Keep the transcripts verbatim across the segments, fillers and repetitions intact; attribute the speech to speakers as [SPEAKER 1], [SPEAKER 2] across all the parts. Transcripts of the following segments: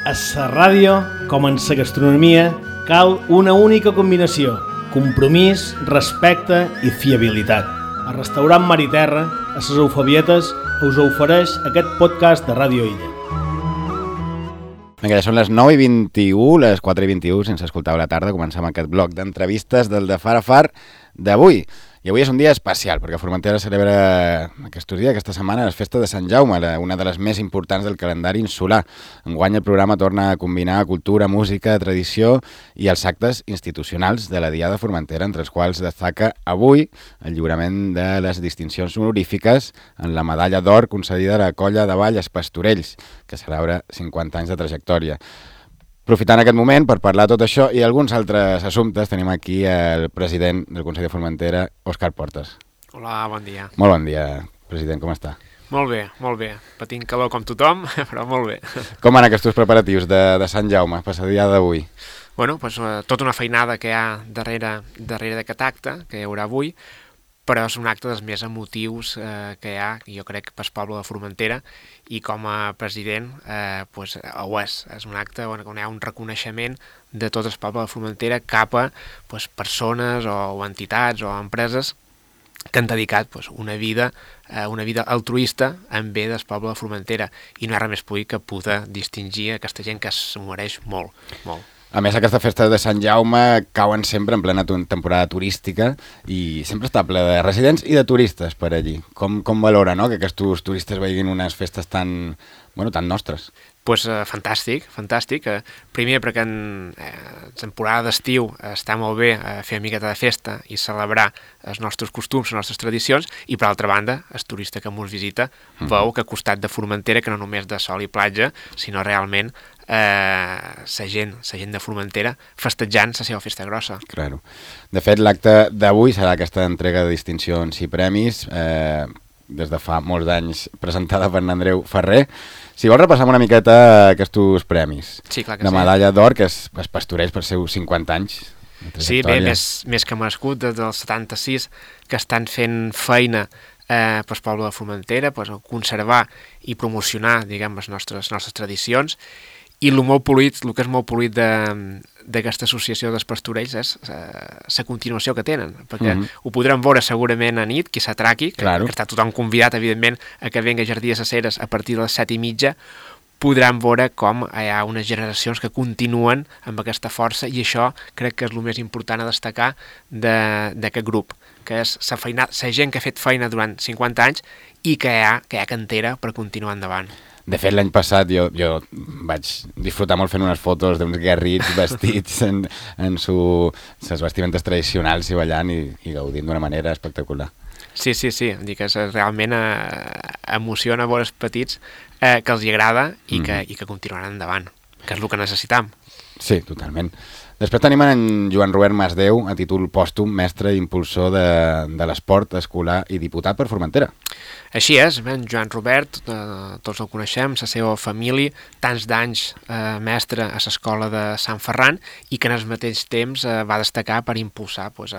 [SPEAKER 1] A la ràdio, com en la gastronomia, cal una única combinació: compromís, respecte i fiabilitat. El restaurant Mar i Terra, a les Eufabietes, us ofereix aquest podcast de Ràdio Illa.
[SPEAKER 2] Vinga, ja són les nou i vint-i-u, les quatre i vint-i-u, sense escoltar a la tarda, comencem aquest bloc d'entrevistes del de Far a Far d'avui. I avui és un dia especial, perquè Formentera celebra aquests dies, aquesta setmana, les festes de Sant Jaume, una de les més importants del calendari insular. Enguany el programa torna a combinar cultura, música, tradició i els actes institucionals de la Diada Formentera, entre els quals destaca avui el lliurament de les distincions honorífiques en la medalla d'or concedida a la Colla de Ball Els Pastorells, que celebra cinquanta anys de trajectòria. Aprofitant aquest moment per parlar de tot això i alguns altres assumptes, tenim aquí el president del Consell de Formentera, Òscar Portes.
[SPEAKER 3] Hola, bon dia.
[SPEAKER 2] Molt bon dia, president, com està?
[SPEAKER 3] Molt bé, molt bé. Patint calor com tothom, però molt bé.
[SPEAKER 2] Com van aquests preparatius de, de Sant Jaume, per la diada d'avui?
[SPEAKER 3] Bueno, doncs, tota una feinada que hi ha darrere, darrere d'aquest acte, que hi haurà avui, però és un acte dels més emotius eh, que hi ha, jo crec, pel poble de Formentera, i com a president eh, pues, ho és. És un acte on hi ha un reconeixement de tot el poble de Formentera cap a pues, persones o, o entitats o empreses que han dedicat pues, una vida eh, una vida altruista en bé del poble de Formentera, i no hi ha res més públic que poder distingir aquesta gent que s'ho mereix molt, molt.
[SPEAKER 2] A més, aquestes festes de Sant Jaume cauen sempre en plena temporada turística i sempre està ple de residents i de turistes per allí. Com, com valora, no?, que aquests turistes vegin unes festes tan, bueno, tan nostres?
[SPEAKER 3] Pues, eh, fantàstic, fantàstic. Eh, primer perquè en eh, temporada d'estiu eh, està molt bé eh, fer una miqueta de festa i celebrar els nostres costums, les nostres tradicions, i per altra banda, el turista que ens visita mm. veu que a costat de Formentera, que no només de sol i platja, sinó realment eh, la gent, la gent de Formentera festejant la seva festa grossa.
[SPEAKER 2] Claro. De fet, l'acte d'avui serà aquesta entrega de distincions i premis, eh, des de fa molts anys presentada per Andreu Ferrer. Si vols repassar una miqueta aquests premis.
[SPEAKER 3] Sí, clar que
[SPEAKER 2] la
[SPEAKER 3] sí.
[SPEAKER 2] Medalla d'or, que es, es pastoreix per seus cinquanta anys.
[SPEAKER 3] Sí, bé, més, més que merescut, des del setanta-sis, que estan fent feina eh, pel poble de Formentera, pues, conservar i promocionar, diguem, les nostres, nostres tradicions, i el molt polit, el que és molt polit d'aquesta associació dels pastorells és la continuació que tenen, perquè mm-hmm. ho podrem veure segurament a nit, qui s'atraqui, que,
[SPEAKER 2] claro.
[SPEAKER 3] que està tothom convidat, evidentment, a que venga a Jardí de les Ceres a partir de les set i mitja, podran veure com hi ha unes generacions que continuen amb aquesta força, i això crec que és el més important a destacar d'aquest grup, que és la, feina, la gent que ha fet feina durant cinquanta anys i que hi ha, que hi ha cantera per continuar endavant.
[SPEAKER 2] De fet, l'any passat jo, jo vaig disfrutar molt fent unes fotos d'uns guerrits vestits en, en su, ses vestimentes tradicionals i ballant i, i gaudint d'una manera espectacular.
[SPEAKER 3] Sí, sí, sí, dic que realment eh, emociona veure els petits eh, que els hi agrada i, mm. que, i que continuaran endavant, que és el que necessitam.
[SPEAKER 2] Sí, totalment. Després tenim en Joan Robert Masdeu, a títol pòstum, mestre i impulsor de, de l'esport escolar i diputat per Formentera.
[SPEAKER 3] Així és, en Joan Robert, eh, tots el coneixem, la seva família, tants d'anys eh, mestre a l'escola de Sant Ferran, i que en el mateix temps eh, va destacar per impulsar pues,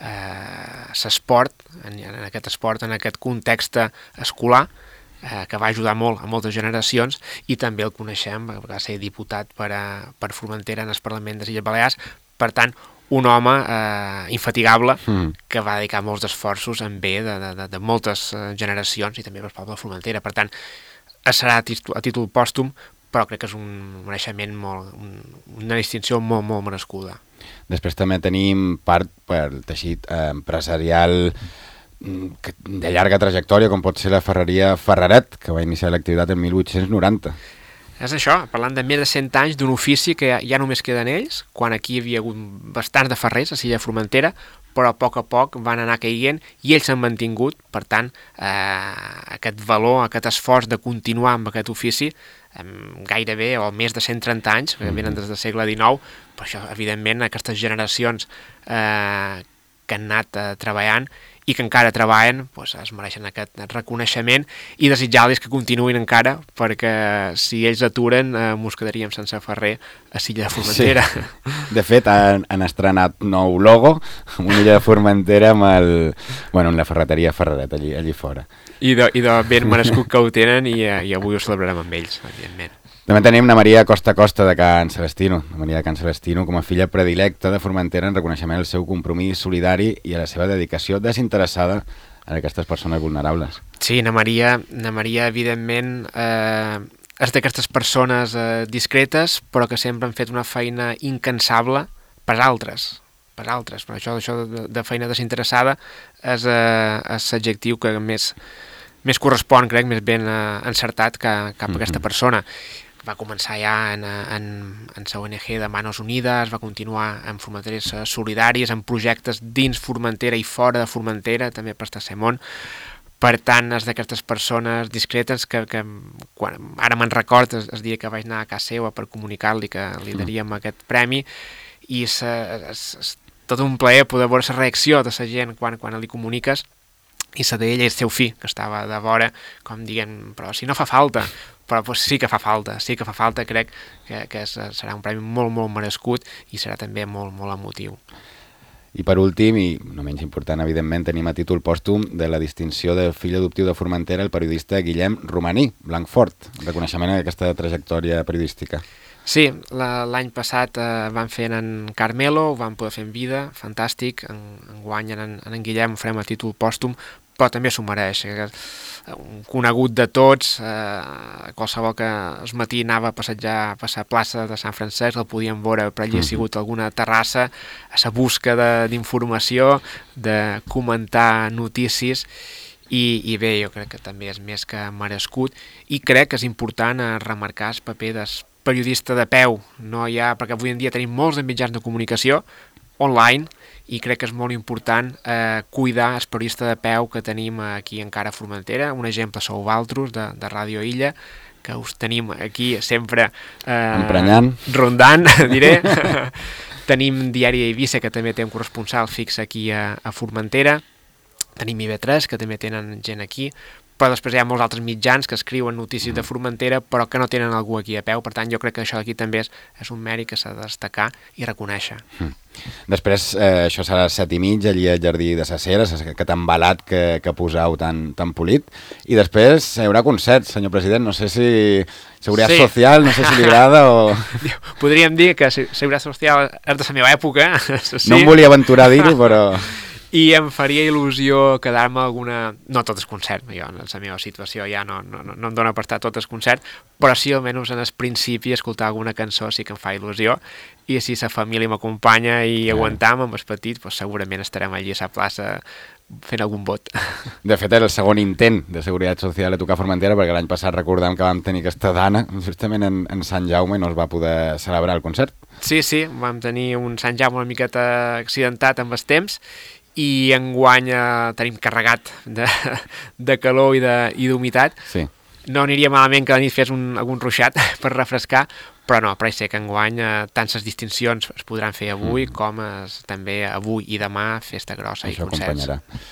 [SPEAKER 3] l'esport, eh, en, en aquest esport, en aquest context escolar, eh, que va ajudar molt a moltes generacions, i també el coneixem, va ser diputat per, a, per Formentera en el Parlament de les Illes Balears. Per tant, un home eh, infatigable mm. que va dedicar molts esforços en bé de, de, de moltes generacions i també per poble de Formentera. Per tant, serà a títol, a títol pòstum, però crec que és un mereixement molt, un, una distinció molt, molt merescuda.
[SPEAKER 2] Després també tenim part pel teixit eh, empresarial de llarga trajectòria, com pot ser la ferreria Ferraret, que va iniciar l'activitat en mil vuit-cents noranta.
[SPEAKER 3] És això, parlant de més de cent anys d'un ofici que ja només queden ells, quan aquí hi havia hagut bastants de ferrers a l'illa Formentera, però a poc a poc van anar caient i ells s'han mantingut. Per tant, eh, aquest valor, aquest esforç de continuar amb aquest ofici, eh, gairebé o més de cent trenta anys, que venen des del segle dinou, per això, evidentment, aquestes generacions eh, que han anat eh, treballant i que encara treballen, doncs es mereixen aquest reconeixement i desitjar-los que continuïn encara, perquè si ells aturen eh, mos quedaríem sense ferrer a Silla de Formentera.
[SPEAKER 2] Sí. De fet, han, han estrenat nou logo, una illa de Formentera amb el... Bueno, amb la ferreteria Ferreret, allí, allí fora.
[SPEAKER 3] I de, i de ben merescut que ho tenen i, i avui ho celebrarem amb ells, evidentment.
[SPEAKER 2] També tenim la Maria Costa Costa de Can Celestino, la Maria de Can Celestino com a filla predilecta de Formentera en reconeixement al seu compromís solidari i a la seva dedicació desinteressada a aquestes persones vulnerables.
[SPEAKER 3] Sí, na Maria, na Maria evidentment, eh, és d'aquestes persones eh, discretes, però que sempre han fet una feina incansable per altres, per altres. Però això, això de, de feina desinteressada és, eh, és l'adjectiu que més, més correspon, crec, més ben eh, encertat que, cap a aquesta persona. Va començar ja en, en, en la O N G de Manos Unides, va continuar en Formenteres Solidaris, en projectes dins Formentera i fora de Formentera, també per Tercer Món. Per tant, és d'aquestes persones discretes que, que quan, ara me'n record, es, es dia que vaig anar a casa seva per comunicar-li que li daríem mm. aquest premi, i és, és, és tot un plaer poder veure la reacció de la gent quan, quan li comuniques, i la d'ell i el seu fill, que estava de vora, com dient, però si no fa falta, però pues, sí que fa falta, sí que fa falta, crec que, que és, serà un premi molt, molt merescut i serà també molt, molt emotiu.
[SPEAKER 2] I per últim, i no menys important, evidentment, tenim a títol pòstum de la distinció del fill adoptiu de Formentera, el periodista Guillem Romaní, Blancfort, reconeixement d'aquesta trajectòria periodística.
[SPEAKER 3] Sí, l'any passat eh, van fer en Carmelo, ho van poder fer en vida, fantàstic, en, en guany en, en Guillem ho farem a títol pòstum, però també s'ho mereix. Un conegut de tots, eh, qualsevol que el matí anava a passejar per la plaça de Sant Francesc, el podíem veure, per allí ha sigut alguna terrassa, a la busca d'informació, de, de comentar notícies, i, i bé, jo crec que també és més que merescut, i crec que és important eh, remarcar el paper del periodista de peu, no hi ha, perquè avui en dia tenim molts de mitjans de comunicació online, i crec que és molt important eh, cuidar el periodista de peu que tenim aquí encara a Formentera. Un exemple sou vosaltres, de, de Ràdio Illa, que us tenim aquí sempre eh,
[SPEAKER 2] emprenyant,
[SPEAKER 3] rondant, diré. Tenim Diari Eivissa, que també té un corresponsal fix aquí a, a Formentera. Tenim I V tres, que també tenen gent aquí. Però després hi ha molts altres mitjans que escriuen notícies de Formentera però que no tenen algú aquí a peu. Per tant, jo crec que això d'aquí també és, és un mèrit que s'ha de destacar i reconèixer. Mm.
[SPEAKER 2] Després, eh, això serà a les set i mig, allí al Jardí de les Heres, aquest embalat que, que posau tan, tan polit. I després hi haurà concerts, senyor president. No sé si Seguretat sí. Social, no sé si li agrada o...
[SPEAKER 3] Podríem dir que Seguretat Social és de la meva època. Sí.
[SPEAKER 2] No em volia aventurar a dir-ho, però...
[SPEAKER 3] I em faria il·lusió quedar-me alguna... No tot el concert, jo en la meva situació ja no, no, no em dóna per estar tot el concert, però sí almenys en el principi escoltar alguna cançó sí que em fa il·lusió, i si la família m'acompanya i
[SPEAKER 2] ah.
[SPEAKER 3] aguantam amb els petits, doncs segurament estarem allí a la plaça fent algun vot.
[SPEAKER 2] De fet, era el segon intent de Seguretat Social a tocar Formentera, perquè l'any passat recordem que vam tenir aquesta dana justament en, en Sant Jaume i no es va poder celebrar el concert.
[SPEAKER 3] Sí, sí, vam tenir un Sant Jaume una miqueta accidentat amb els temps, i enguany eh, tenim carregat de, de calor i d'humitat.
[SPEAKER 2] Sí.
[SPEAKER 3] No aniria malament que a la nit fes un, algun ruixat per refrescar, però no, pareix ser que enguany eh, tant les distincions es podran fer avui mm. com es, també avui i demà festa grossa
[SPEAKER 2] això
[SPEAKER 3] i concerts.
[SPEAKER 2] Acompanyarà.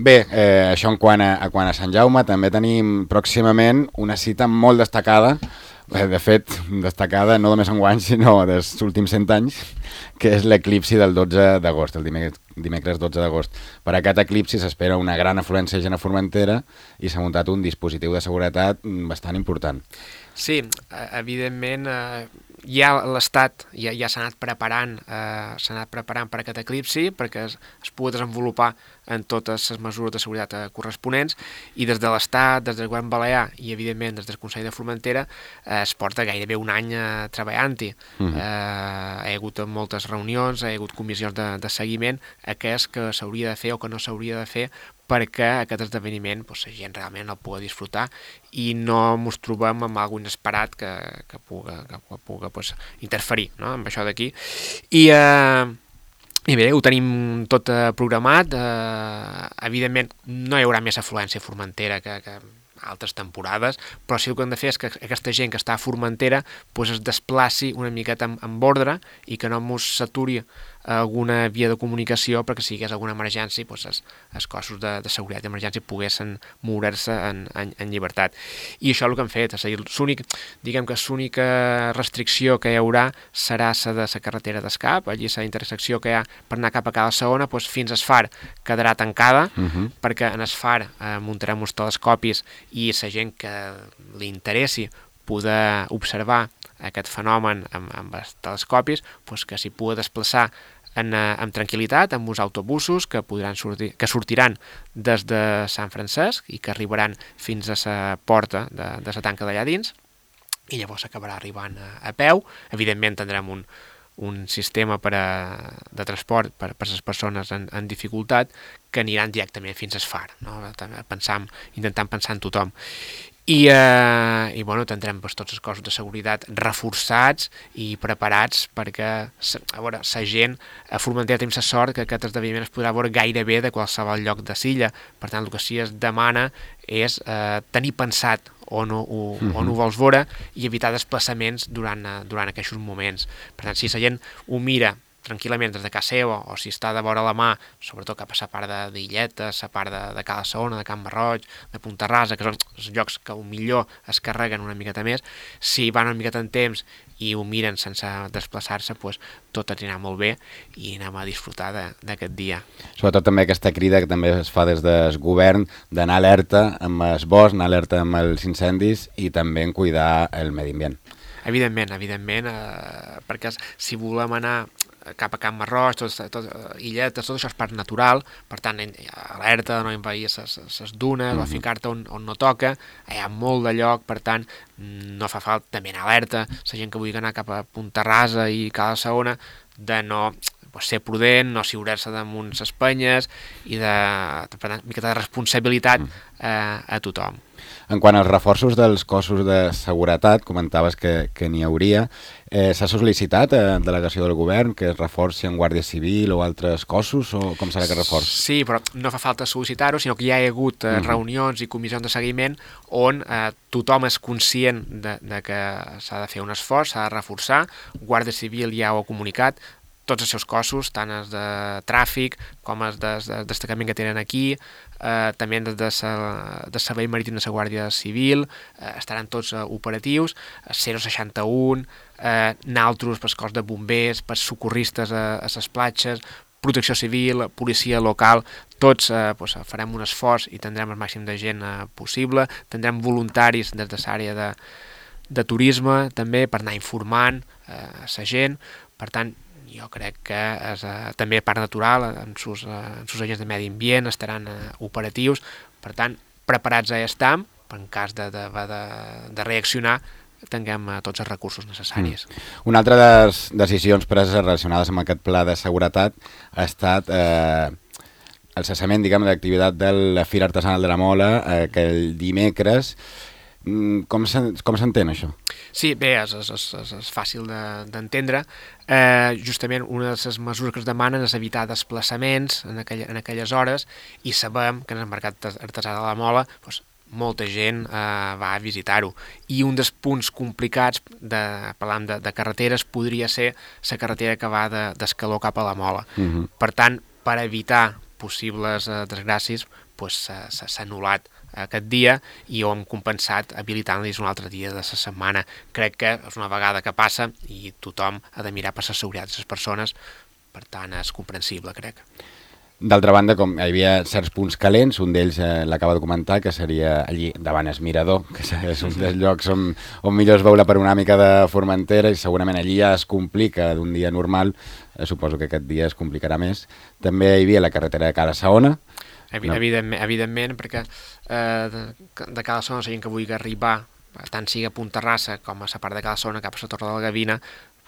[SPEAKER 2] Bé, eh, això en quant a, a quant a Sant Jaume, també tenim pròximament una cita molt destacada, de fet, destacada no només enguany, sinó dels últims cent anys, que és l'eclipsi del dotze d'agost, el dimecres, dimecres dotze d'agost. Per aquest eclipsi s'espera una gran afluència de gent a Formentera i s'ha muntat un dispositiu de seguretat bastant important.
[SPEAKER 3] Sí, evidentment, eh, ja l'Estat ja, ja s'ha anat preparant eh, s'ha anat preparant per aquest eclipsi perquè es, es pugui desenvolupar en totes les mesures de seguretat eh, corresponents, i des de l'Estat, des del Govern Balear i evidentment des del Consell de Formentera eh, es porta gairebé un any eh, treballant-hi. Mm-hmm. eh, hi ha hagut moltes reunions, hi ha hagut comissions de, de seguiment a què és que s'hauria de fer o que no s'hauria de fer perquè aquest esdeveniment pues, la gent realment el pugui disfrutar i no ens trobem amb algun inesperat que, que pugui, que pugui pues, interferir, no?, amb això d'aquí. I, eh, I bé, ho tenim tot eh, programat. Eh, evidentment, no hi haurà més afluència a Formentera que, que altres temporades, però sí el que hem de fer és que aquesta gent que està a Formentera pues, es desplaci una miqueta amb, amb ordre i que no ens s'aturi alguna via de comunicació perquè si hi hagués alguna emergència, doncs els, els cossos de, de seguretat d'emergència poguessin moure's en, en, en llibertat. I això és el que han fet. És a dir, l'únic, diguem que l'única restricció que hi haurà serà la de la carretera d'escap, allí la intersecció que hi ha per anar cap a cada segona, doncs fins al far quedarà tancada, uh-huh. perquè en el far eh, muntarem uns telescopis i la gent que li interessi poder observar aquest fenomen amb, amb els telescopis, doncs que s'hi pugui desplaçar en, amb tranquil·litat, amb uns autobusos que, podran sortir, que sortiran des de Sant Francesc i que arribaran fins a la porta de, de la tanca d'allà dins, i llavors s'acabarà arribant a, a peu. Evidentment tindrem un, un sistema per a, de transport per, per a les persones en, en dificultat que aniran directament fins al far, no? Pensam, intentant pensar en tothom. I, eh, i bueno, tindrem doncs, tots els cossos de seguretat reforçats i preparats perquè a veure, la gent a Formentera tenim la sort que aquest esdeveniment es podrà veure gairebé de qualsevol lloc de l'illa. Per tant, el que sí es demana és eh, tenir pensat on ho, uh-huh. on ho vols veure i evitar desplaçaments durant, durant aquests moments. Per tant, si la gent ho mira tranquil·lament des de casa seva, o si està de vora la mà, sobretot cap a la part d'Illeta, la part de, de Cala Saona, de Can Marroig, de Punta Rasa, que són els llocs que millor es carreguen una miqueta més, si van una miqueta en temps i ho miren sense desplaçar-se, doncs tot anirà molt bé i anem a disfrutar d'aquest dia.
[SPEAKER 2] Sobretot també aquesta crida que també es fa des del govern d'anar alerta amb el bosc, anar alerta amb els incendis i també en cuidar el medi ambient.
[SPEAKER 3] Evidentment, evidentment, eh, perquè si volem anar cap a Can Marroig, tot, tot, Illetes, tot això és parc natural, per tant, alerta de no envair les dunes mm-hmm. o ficar-te on, on no toca, hi ha molt de lloc, per tant, no fa falta també anar alerta, la gent que vulgui anar cap a Punta Rasa i Cala Saona, de no pues, ser prudent, no siurar-se damunt les penyes i de, per tant, una miqueta de responsabilitat eh, a tothom.
[SPEAKER 2] En quant als reforços dels cossos de seguretat, comentaves que, que n'hi hauria, eh, s'ha sol·licitat a delegació del govern que es reforci en Guàrdia Civil o altres cossos, o com serà que reforç?
[SPEAKER 3] Sí, però no fa falta sol·licitar-ho, sinó que ja hi ha hagut eh, uh-huh. reunions i comissions de seguiment on eh, tothom és conscient de, de que s'ha de fer un esforç, s'ha de reforçar, Guàrdia Civil ja ho ha comunicat, tots els seus cossos, tant els de tràfic com els de, de destacament que tenen aquí, eh, també des de, de Servei Marítim de la Guàrdia Civil, eh, estaran tots eh, operatius, zero seixanta u, eh, naltros per cos de bombers, per socorristes a, a les platges, protecció civil, policia local, tots eh, pues, farem un esforç i tindrem el màxim de gent eh, possible, tindrem voluntaris des de l'àrea de, de turisme també per anar informant eh, la gent, per tant, jo crec que és, eh, també Parc Natural, amb sus, eh, amb sus agents de medi ambient, estaran eh, operatius, per tant, preparats ja estem, en cas de, de, de, de reaccionar, tinguem eh, tots els recursos necessaris.
[SPEAKER 2] Mm. Una altra de les decisions preses relacionades amb aquest pla de seguretat ha estat eh, el cessament, diguem, d'activitat de la Fira Artesanal de la Mola, eh, que el dimecres. Com s'entén això?
[SPEAKER 3] Sí, bé, és, és, és, és fàcil d'entendre. De, eh, justament una de les mesures que es demanen és evitar desplaçaments en, aquell, en aquelles hores i sabem que en el mercat artesà de la Mola doncs, molta gent eh, va a visitar-ho. I un dels punts complicats, de, parlant de, de carreteres, podria ser la carretera que va d'Escaló cap a la Mola. Uh-huh. Per tant, per evitar possibles eh, desgràcies, doncs, s'ha anul·lat aquest dia i ho hem compensat habilitant-los un altre dia de la setmana. Crec que és una vegada que passa i tothom ha de mirar per la seguretat de les persones, per tant és comprensible, crec.
[SPEAKER 2] D'altra banda, com hi havia certs punts calents, un d'ells eh, l'acaba de comentar, que seria allí davant el Mirador, que és un dels llocs on, on millor es veu la panoràmica de Formentera i segurament allí ja es complica d'un dia normal, eh, suposo que aquest dia es complicarà més. També hi havia la carretera de Cala Saona.
[SPEAKER 3] Evidentment, evidentment, perquè eh, de, de Cala Saona la gent que vulgui arribar, tant sigui a Punta Rasa com a la part de Cala Saona cap a la Torre de la Gavina,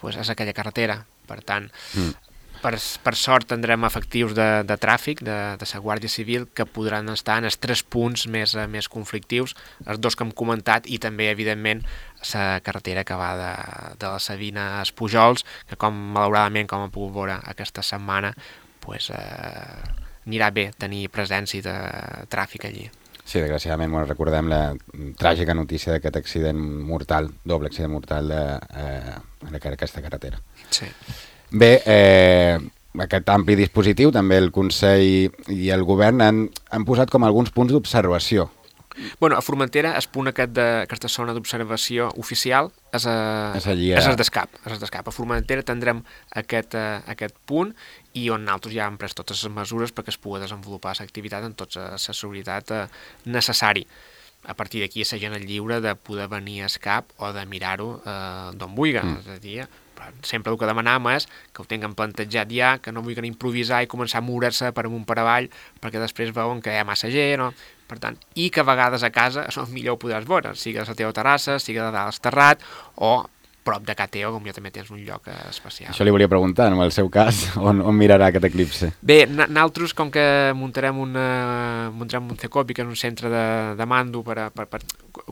[SPEAKER 3] doncs és aquella carretera. Per tant, mm. per, per sort tindrem efectius de, de tràfic de, de la Guàrdia Civil que podran estar en els tres punts més, més conflictius, els dos que hem comentat, i també, evidentment, la carretera que va de, de la Sabina als Pujols, que com malauradament, com hem pogut veure aquesta setmana, doncs... Eh, anirà bé tenir presència de tràfic allí.
[SPEAKER 2] Sí, desgraciadament, bueno, recordem la tràgica notícia d'aquest accident mortal, doble accident mortal de, eh, en aquesta carretera.
[SPEAKER 3] Sí.
[SPEAKER 2] Bé, eh, aquest ampli dispositiu, també el Consell i el Govern han, han posat com alguns punts d'observació.
[SPEAKER 3] Bueno, a Formentera el punt aquest de, aquesta zona d'observació oficial és, a,
[SPEAKER 2] és allí
[SPEAKER 3] a...
[SPEAKER 2] a...
[SPEAKER 3] és d'escap. És d'escap. A Formentera tindrem aquest, uh, aquest punt i on nosaltres ja hem pres totes les mesures perquè es pugui desenvolupar l'activitat amb tota la seguretat uh, necessari. A partir d'aquí la gent és lliure de poder venir a escap o de mirar-ho uh, d'on vulgui. Mm. És a dir, sempre el que demanam és que ho tinguin plantejat ja, que no vulguin improvisar i començar a moure-se per amunt per avall, perquè després veuen que hi ha massa gent, no? Per tant, i que a vegades a casa és millor ho podràs veure, sigui a la teva terrassa, sigui de dalt al terrat, o prop de casa teva, com ja també tens un lloc especial.
[SPEAKER 2] Això li volia preguntar, en el seu cas, on, on mirarà aquest eclipse?
[SPEAKER 3] Bé, nosaltres, com que muntarem, una, muntarem un CECOPI, que és un centre de, de mando per, a, per, per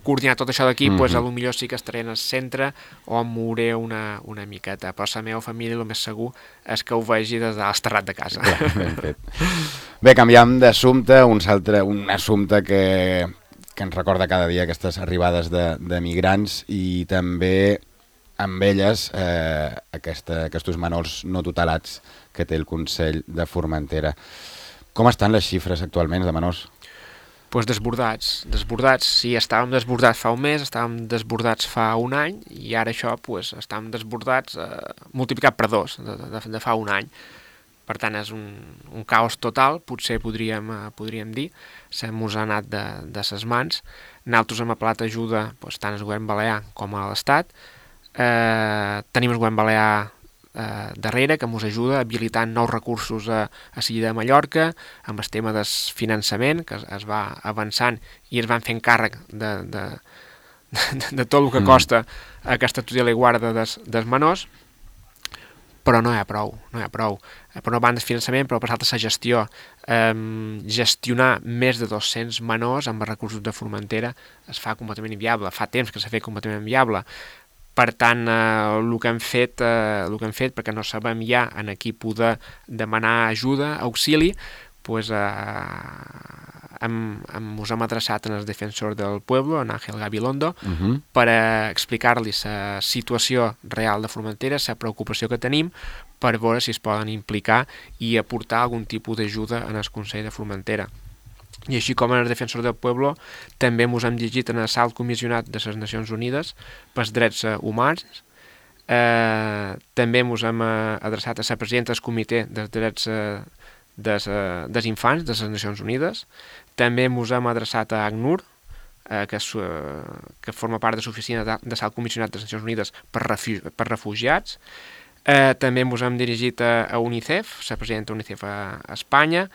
[SPEAKER 3] coordinar tot això d'aquí, mm-hmm. pues, potser sí que estaré en el centre o em mouré una, una miqueta, però la meva família el més segur és que ho vegi des de l'esterrat de casa.
[SPEAKER 2] Clar, ben fet. Bé, canviam d'assumpte, un altre, un assumpte que, que ens recorda cada dia aquestes arribades de, de migrants i també amb elles eh, aquesta, aquests menors no tutelats que té el Consell de Formentera. Com estan les xifres actualment de menors?
[SPEAKER 3] Pues desbordats, desbordats. Sí, estàvem desbordats fa un mes, estàvem desbordats fa un any i ara això, pues, estàvem desbordats eh, multiplicat per dos de, de, de fa un any. Per tant, és un, un caos total, potser podríem, eh, podríem dir, se mos ha anat de, de ses mans. Nosaltres hem apel·lat ajuda pues, tant al govern balear com a l'Estat. Eh, tenim el govern balear eh, darrere, que ens ajuda habilitant nous recursos a, a Silla de Mallorca, amb el tema del finançament, que es, es va avançant i es van fent càrrec de, de, de, de tot el que costa mm. aquesta tutela i guarda dels, dels menors, però no hi ha prou, no hi ha prou. Per una banda, finançament, però per l'altra, la gestió. Um, gestionar més de dos-cents menors amb els recursos de Formentera es fa completament inviable. Fa temps que s'ha fet completament inviable. Per tant, eh, el que hem fet, eh, el que hem fet, perquè no sabem ja en qui poder demanar ajuda, auxili, pues, eh, hem, hem, us hem adreçat en el defensor del pueblo, en Ángel Gabilondo, uh-huh. per eh, explicar-li la situació real de Formentera, la preocupació que tenim, per veure si es poden implicar i aportar algun tipus d'ajuda en el Consell de Formentera. I així com en el defensor del pueblo, també ens hem llegit en el Alt Comissionat de les Nacions Unides pels drets humans, eh, també ens hem adreçat a la presidenta del comitè dels drets eh, des, eh, dels infants de les Nacions Unides, també ens hem adreçat a ACNUR, eh, que, és, eh, que forma part de l'oficina de, de l'Alt Comissionat de les Nacions Unides per, refu per refugiats, eh, també ens hem dirigit a, a UNICEF, la presidenta d'UNICEF a, a Espanya,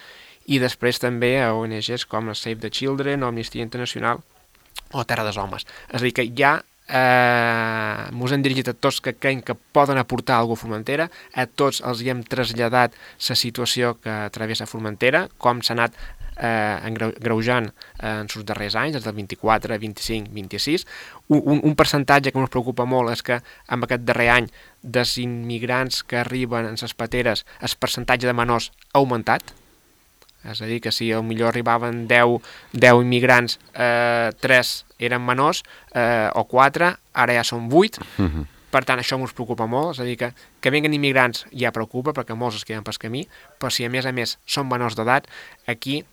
[SPEAKER 3] i després també a O N Ges com a Save the Children, Amnistia Internacional o Terra dels Homes. És a dir, que ja eh, ens hem dirigit a tots que creiem que poden aportar alguna cosa a Formentera, a tots els hi hem traslladat la situació que travessa Formentera, com s'ha anat eh, greujant eh, en els darrers anys, des del vint-i-quatre, vint-i-cinc, vint-i-sis. Un, un, un percentatge que ens preocupa molt és que en aquest darrer any dels immigrants que arriben en les pateres el percentatge de menors ha augmentat. És a dir, que si potser arribaven deu, deu immigrants, eh, tres eren menors, eh, o quatre, ara ja són vuit. Uh-huh. Per tant, això ens preocupa molt. És a dir, que, que venguen immigrants ja preocupa, perquè molts es queden pel camí, però si a més a més són menors d'edat, aquí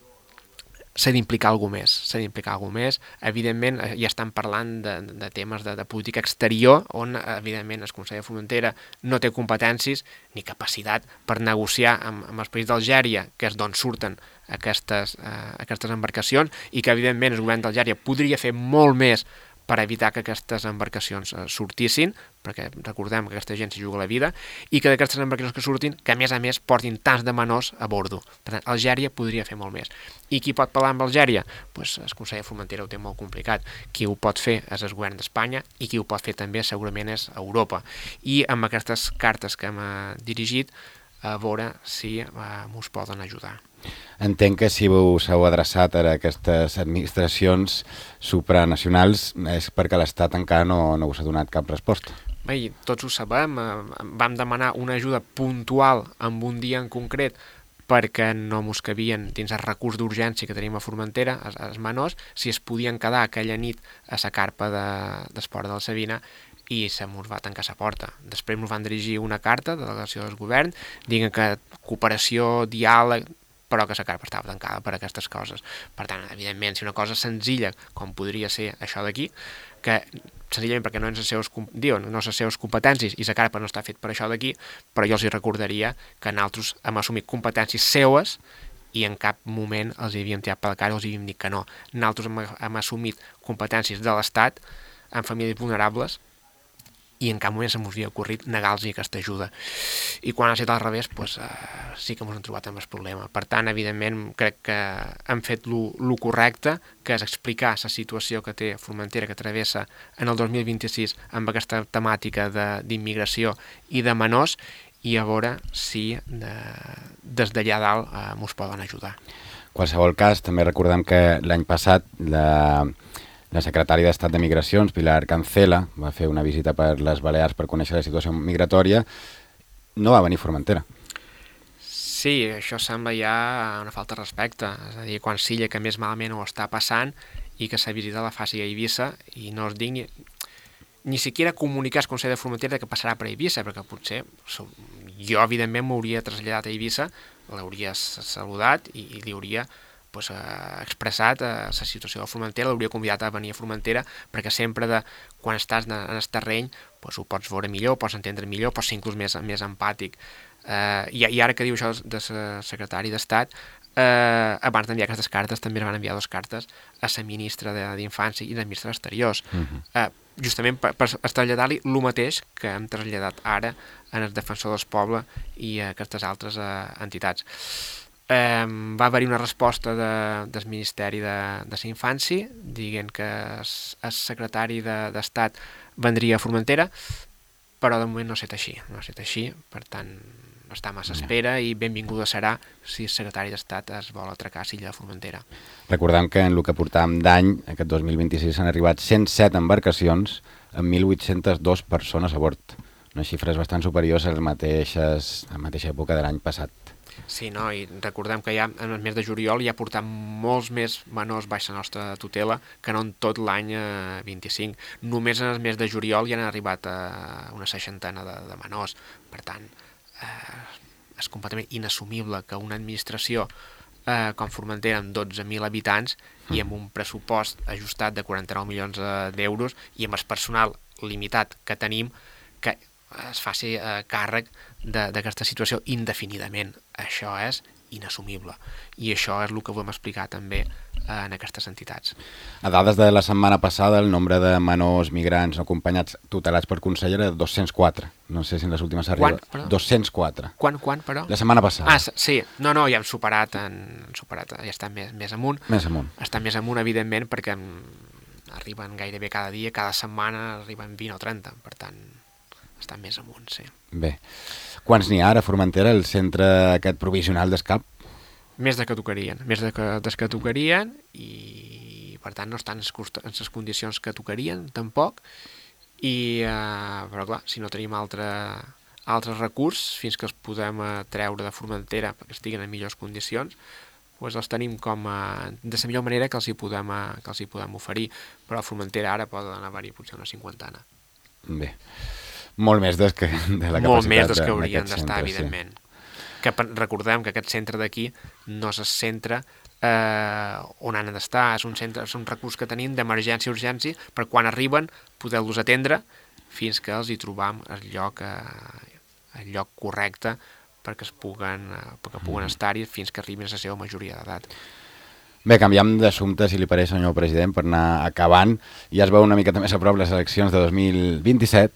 [SPEAKER 3] s'ha d'implicar alguna més, s'ha d'implicar alguna més. Evidentment, ja estan parlant de, de temes de, de política exterior, on, evidentment, el Consell de Formentera no té competències ni capacitat per negociar amb, amb els països d'Algèria, que és d'on surten aquestes, eh, aquestes embarcacions, i que, evidentment, el govern d'Algèria podria fer molt més per evitar que aquestes embarcacions eh, sortissin, perquè recordem que aquesta gent s'hi juga la vida, i que d'aquestes embarcacions que surtin, que a més a més portin tants de menors a bordo. Per tant, Algèria podria fer molt més. I qui pot parlar amb Algèria? Pues el Consell de Formentera ho té molt complicat. Qui ho pot fer és el govern d'Espanya i qui ho pot fer també segurament és Europa. I amb aquestes cartes que hem eh, dirigit, a veure si eh, us poden ajudar.
[SPEAKER 2] Entenc que si us heu adreçat a aquestes administracions supranacionals és perquè l'Estat encara no, no us ha donat cap resposta.
[SPEAKER 3] Bé, tots ho sabem, vam demanar una ajuda puntual en un dia en concret perquè no mos cabien dins el recurs d'urgència que tenim a Formentera, els menors, si es podien quedar aquella nit a la carpa de, d'esport de la Sabina, i se mos va tancar la porta. Després ens van dirigir una carta de delegació del govern dient que cooperació, diàleg, però que la carta estava tancada per aquestes coses. Per tant, evidentment, si una cosa senzilla, com podria ser això d'aquí, que senzillament perquè no és les seves, diuen, no les seves competències i la carta no està fet per això d'aquí, però jo els hi recordaria que nosaltres hem assumit competències seues i en cap moment els hi havíem tirat per la cara o els hi havíem dit que no. Nosaltres hem, hem assumit competències de l'Estat en famílies vulnerables i en cap moment se m'havia ocorrit negar-los aquesta ajuda. I quan ha estat al revés, pues, eh, sí que ens hem trobat amb el problema. Per tant, evidentment, crec que hem fet el correcte, que és explicar la situació que té Formentera, que travessa en el dos mil vint-i-sis amb aquesta temàtica d'immigració i de menors, i a veure si de, des d'allà dalt eh, ens poden ajudar.
[SPEAKER 2] En qualsevol cas, també recordem que l'any passat la... La secretària d'Estat de Migracions, Pilar Cancela, va fer una visita per les Balears per conèixer la situació migratòria. No va venir a Formentera.
[SPEAKER 3] Sí, això sembla ja una falta de respecte. És a dir, quan Silla, que més malament ho està passant, i que la visita la faci a Eivissa, i no es digui ni, ni siquiera comunicar al Consell de Formentera que passarà per Eivissa, perquè potser jo, evidentment, m'hauria traslladat a Eivissa, l'hauria saludat i, i li hauria pues, eh, expressat eh, la situació de Formentera, l'hauria convidat a venir a Formentera, perquè sempre de, quan estàs en el terreny pues, ho pots veure millor, pots entendre millor, pots ser inclús més, més empàtic. Eh, i, I ara que diu això de la secretari d'Estat, eh, abans d'enviar aquestes cartes també van enviar dues cartes a la ministra d'Infància i la ministra d'Exteriors, uh-huh. eh, justament per, per traslladar-li el mateix que hem traslladat ara en el Defensor del Poble i a aquestes altres eh, entitats. Eh, va haver-hi una resposta de, del Ministeri de, de la Infància dient que el, el secretari d'Estat de, vendria a Formentera, però de moment no ha estat així, no ha estat així, per tant està massa espera i benvinguda serà si el secretari d'Estat es vol atracar a l'illa de Formentera.
[SPEAKER 2] Recordem que en el que portàvem d'any, aquest dos mil vint-i-sis, han arribat cent set embarcacions amb mil vuit-cents dos persones a bord. Unes xifres bastant superiors a les mateixes, a la mateixa època de l'any passat.
[SPEAKER 3] Sí, no? I recordem que ja en el mes de juliol ja portam molts més menors baix la nostra tutela que no en tot l'any eh, vint-i-cinc. Només en el mes de juliol ja han arribat a una seixantena de, de menors. Per tant, eh, és completament inassumible que una administració eh, com Formentera amb dotze mil habitants mm. i amb un pressupost ajustat de quaranta-nou milions d'euros i amb el personal limitat que tenim, que es faci eh, càrrec d'aquesta situació indefinidament. Això és inassumible. I això és el que volem explicar també eh, en aquestes entitats.
[SPEAKER 2] A dades de la setmana passada, el nombre de menors migrants no acompanyats tutelats per consell era dos-cents quatre. No sé si en les últimes arriba...
[SPEAKER 3] Quan?
[SPEAKER 2] dos-cents quatre.
[SPEAKER 3] Quan, quan, però?
[SPEAKER 2] La setmana passada.
[SPEAKER 3] Ah, sí. No, no, ja hem superat, en, superat ja està més, més amunt.
[SPEAKER 2] Més amunt.
[SPEAKER 3] Està més amunt, evidentment, perquè arriben gairebé cada dia, cada setmana arriben vint o trenta, per tant... està més amunt, sí.
[SPEAKER 2] Bé. Quants n'hi ha ara a Formentera, el centre aquest provisional d'escap?
[SPEAKER 3] Més de que tocarien, més de que, des que tocarien i per tant no estan en les condicions que tocarien tampoc i eh, però clar, si no tenim altre, altres recursos fins que els podem eh, treure de Formentera perquè estiguin en millors condicions, doncs els tenim com a, de la millor manera que els hi podem, a, que els hi podem oferir, però a Formentera ara poden haver-hi potser una cinquantena.
[SPEAKER 2] Bé. Molt més des que, de la capacitat
[SPEAKER 3] molt més des que haurien d'estar, evidentment.
[SPEAKER 2] Sí.
[SPEAKER 3] Que recordem que aquest centre d'aquí no és el centre eh, on han d'estar, és un centre, és un recurs que tenim d'emergència i urgència per quan arriben poder-los atendre fins que els hi trobam el lloc, eh, el lloc correcte perquè es puguen, eh, perquè puguen mm. estar-hi fins que arribin a la seva majoria d'edat.
[SPEAKER 2] Bé, canviem d'assumpte, si li pareix, senyor president, per anar acabant. Ja es veu una miqueta més a prop les eleccions de dos mil vint-i-set.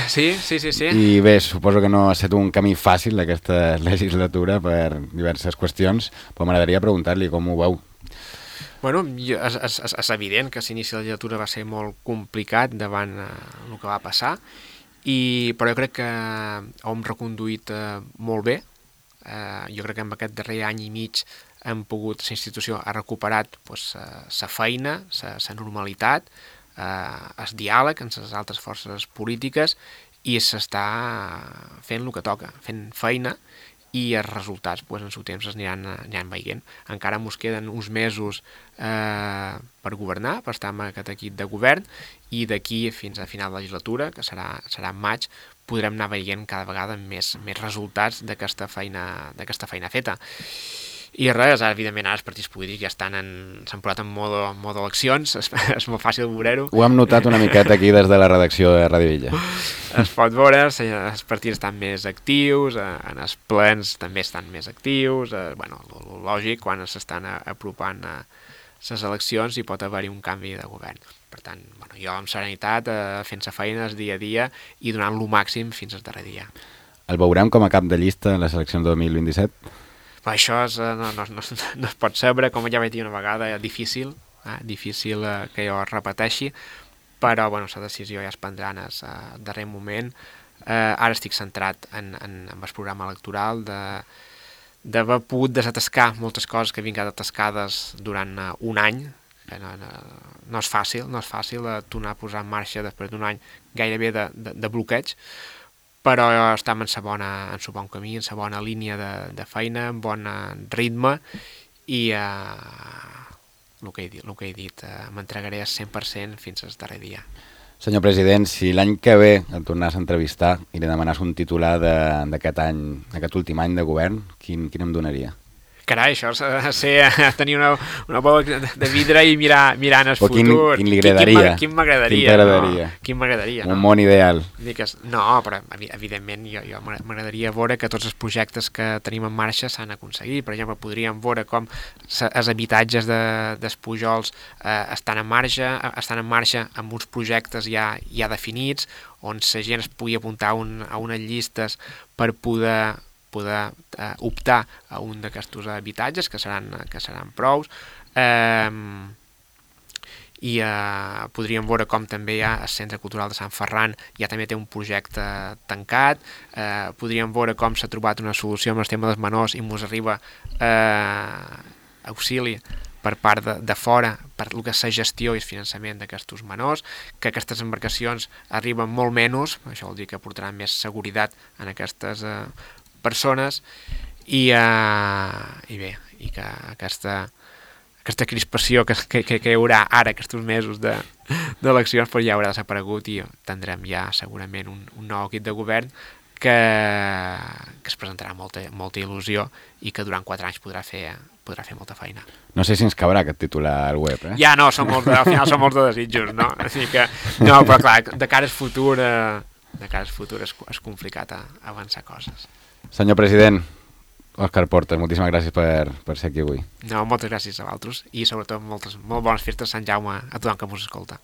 [SPEAKER 3] Sí, sí, sí, sí.
[SPEAKER 2] I bé, suposo que no ha estat un camí fàcil aquesta legislatura per diverses qüestions, però m'agradaria preguntar-li com ho veu.
[SPEAKER 3] Bueno, és, és, és evident que l'inici de la legislatura va ser molt complicat davant eh, el que va passar, i, però jo crec que ho hem reconduït eh, molt bé. Eh, jo crec que en aquest darrer any i mig hem pogut, la institució ha recuperat pues, la feina, la normalitat, eh, el diàleg amb les altres forces polítiques i s'està fent el que toca, fent feina i els resultats pues, en el seu temps es aniran, aniran veient. Encara ens queden uns mesos eh, per governar, per estar amb aquest equip de govern, i d'aquí fins a final de legislatura, que serà, serà en maig, podrem anar veient cada vegada més, més resultats d'aquesta feina, d'aquesta feina feta. I res, ara, evidentment, ara els partits polítics ja estan en... s'han posat en modo, modo eleccions, és, és molt fàcil veure-ho.
[SPEAKER 2] Ho hem notat una miqueta aquí des de la redacció de Ràdio Villa.
[SPEAKER 3] Es pot veure, els partits estan més actius, en els plens també estan més actius, eh, bueno, lo lògic, quan s'estan apropant a les eleccions hi pot haver-hi un canvi de govern. Per tant, bueno, jo amb serenitat, eh, fent-se feines dia a dia i donant lo màxim fins al darrer dia.
[SPEAKER 2] El veurem com a cap de llista en les eleccions de dos mil vint-i-set?
[SPEAKER 3] Però això és, no, no, no, no es pot saber, com ja vaig dir una vegada, és difícil, eh, difícil eh, que jo repeteixi, però bueno, la decisió ja es prendrà en el uh, darrer moment. Eh, ara estic centrat en, en, en el programa electoral, de d'haver pogut desatascar moltes coses que vinc atascades durant uh, un any, que no, no, no és fàcil, no és fàcil uh, tornar a posar en marxa després d'un any gairebé de, de, de bloqueig, però estem en la bona, en el bon camí, en la bona línia de, de feina, en bon ritme, i eh, el que he dit, el que he dit eh, m'entregaré al cent per cent fins al darrer dia.
[SPEAKER 2] Senyor president, si l'any que ve el tornàs a entrevistar i li demanàs un titular d'aquest any, d'aquest últim any de govern, quin, quin em donaria?
[SPEAKER 3] Carai, això és ser, tenir una, una bola de vidre i mirar, mirar en el
[SPEAKER 2] o quin,
[SPEAKER 3] futur.
[SPEAKER 2] Quin li agradaria?
[SPEAKER 3] Quin m'agradaria?
[SPEAKER 2] Quin t'agradaria?
[SPEAKER 3] No? Quin m'agradaria?
[SPEAKER 2] Un no? món ideal.
[SPEAKER 3] No, però evidentment jo, jo m'agradaria veure que tots els projectes que tenim en marxa s'han aconseguit. Per exemple, podríem veure com els habitatges de, dels Pujols eh, estan en marxa, estan en marxa amb uns projectes ja, ja definits, on la gent es pugui apuntar un, a unes llistes per poder poder eh, optar a un d'aquests habitatges, que seran, que seran prous, eh, i eh, podríem veure com també hi ha el Centre Cultural de Sant Ferran ja també té un projecte tancat, eh, podríem veure com s'ha trobat una solució amb el tema dels menors i ens arriba eh, auxili per part de, de fora, per el que és la gestió i el finançament d'aquests menors, que aquestes embarcacions arriben molt menys, això vol dir que portaran més seguretat en aquestes eh, persones, i, uh, i bé, i que aquesta, aquesta crispació que, que, que hi haurà ara aquests mesos d'eleccions de, ja haurà desaparegut i tindrem ja segurament un, un nou equip de govern que, que es presentarà molta, molta il·lusió i que durant quatre anys podrà fer, podrà fer molta feina.
[SPEAKER 2] No sé si ens cabrà aquest titular al web, eh?
[SPEAKER 3] Ja no, són molt de, al final són molts de desitjos, no? Així que, no, però clar, de cara al futur, eh, de cara al futur és, és complicat a, a avançar coses.
[SPEAKER 2] Senyor president, Òscar Porta, moltíssimes gràcies per, per ser aquí avui.
[SPEAKER 3] No, moltes gràcies a vosaltres i sobretot moltes, molt bones festes Sant Jaume a tothom que us escolta.